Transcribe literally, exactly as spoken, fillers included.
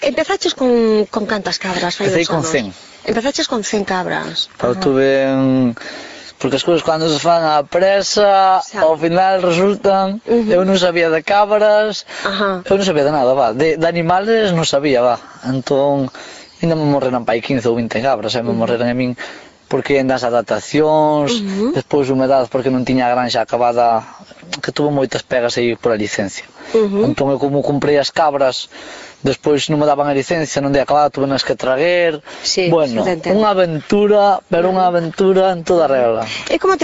Empezaches con, con cantas cabras? Empecé con cen. Empezaches con cen cabras. Eu tuve un... Porque as cousas cando se fan á presa, Xa. ao final resultan... Uh -huh. Eu non sabía de cabras, Ajá. eu non sabía de nada, va. De, de animales non sabía, va. Entón, ainda me morreran pai quince ou vinte cabras, e me uh -huh. morreran a min porque en das adaptacións, uh -huh. despois humedades porque non tiña a granxa acabada, que tuvo moitas pegas aí por a licencia. Uh -huh. Entón eu como comprei as cabras, despois non me daban a licencia, non dei acabada, tuve nas que traguer. Sí, bueno, unha aventura, pero unha aventura en toda regla. E como te